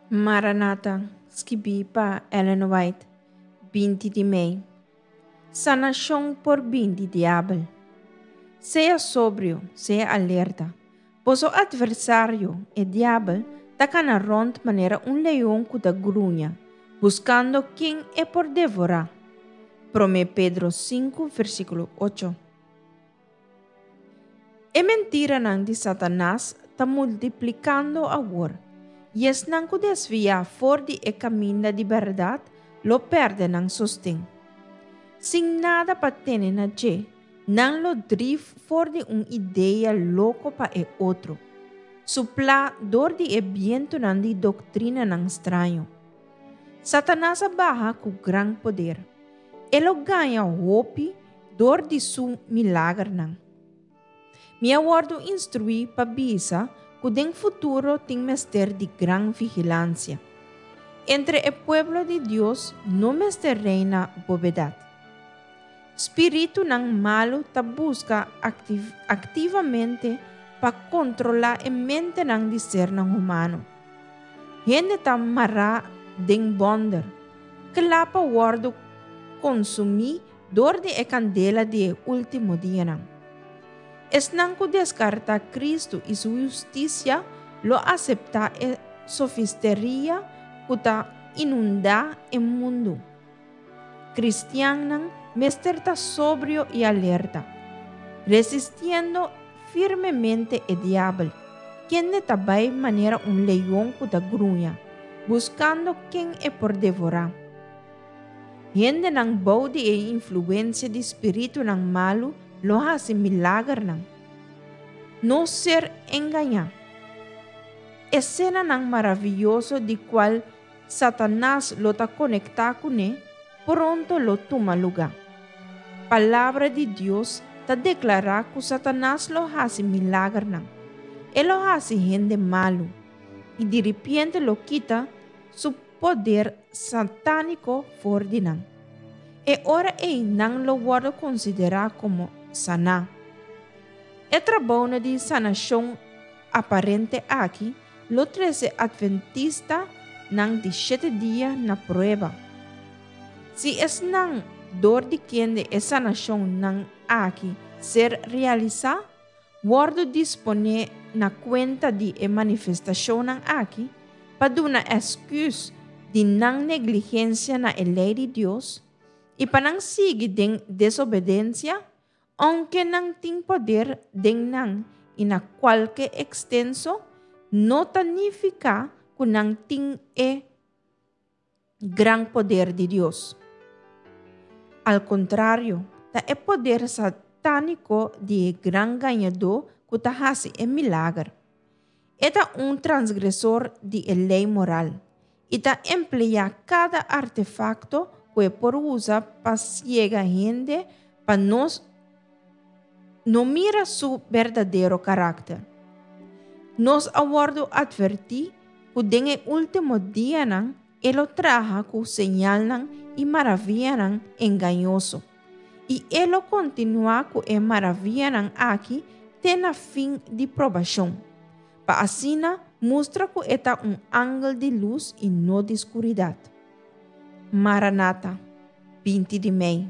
Maranata, skibí pa Ellen White, 20 di mei. Sanashon por bin di diabel. Sea sobrio, sea alerta. Boso atversario, e diabel, ta kana rònt manera un leon ku ta gruña, buskando ken e por devorá. Promé Pedro 5, versíkulo 8. E mentiranan di Satanas ta multiplikando awor, i esnan ku desviá for di e kaminda di bèrdat lo pèrdè nan sosten. Sin nada pa tene na dje, nan lo drif for di un idea loko pa e otro, suplá dor di e bientunan di doktrinanan straño. Satanas a baha ku gran poder. E lo gaña hopi dor di su milagernan. Mi a wòrdu instruí pa bisa ku den futuro tin mester di gran vigilansia. Entre e pueblo di Dios no mester reina bobedat. Spiritunan malu ta buska aktivamente pa kontrolá e mentenan di sernan humano. Hende ta mará den bònder, kla pa wòrdu konsumí dor di e kandela di e último dianan. Esnan ku deskartá Kristu i su hustisia lo aseptá e sofisteria ku ta inundá e mundu. Kristiannan mester ta sobrio i alerta, resistiendo firmemente e Diabel, kende ta bai manera un leon ku ta gruña, buskando ken e por devorá. Hendenan bou di e influensia di spiritunan malu lo hasi milagernan. No ser engañá. Esenanan maravioso di kual Satanas lo ta konektá kuné pronto lo tuma lugá. Palabra di Dios ta deklará ku Satanas lo hasi milagernan. E lo hasi hende malu, i diripiente lo kita su poder satániko for di nan. E ora ei nan lo wòrdu konsiderá komo saná. E trabounan di sanashon aparente aki lo trese atventistanan di shete dia na prueba. Si esnan dor di kende e sanashonnan aki ser realisá, Wòrdu disponé na kuenta di e manifestashonnan aki pa duna èsküs di nan negligensia na e lei di Dios i pa nan sigui den desobedensia, ounke nan tin poder den nan i na kualke ekstenso, no ta nifiká ku nan tin e gran poder di Dios. Al kontrario, ta e poder satániko di e gran gañadó ku ta hasi e milager. E ta un transgresor di e lei moral i ta empleá kada artefakto ku e por usa pa siega hende pa nos no mira su berdadero karakter. Nos a wòrdu atvertí ku den e último dianan e lo traha ku señalnan i maravianan engañoso, i e lo kontinuá ku e maravianan aki te na fin di probashon, pa asina mustra ku e ta un angel di lus i no di skuridat. Maranata, 20 di mei.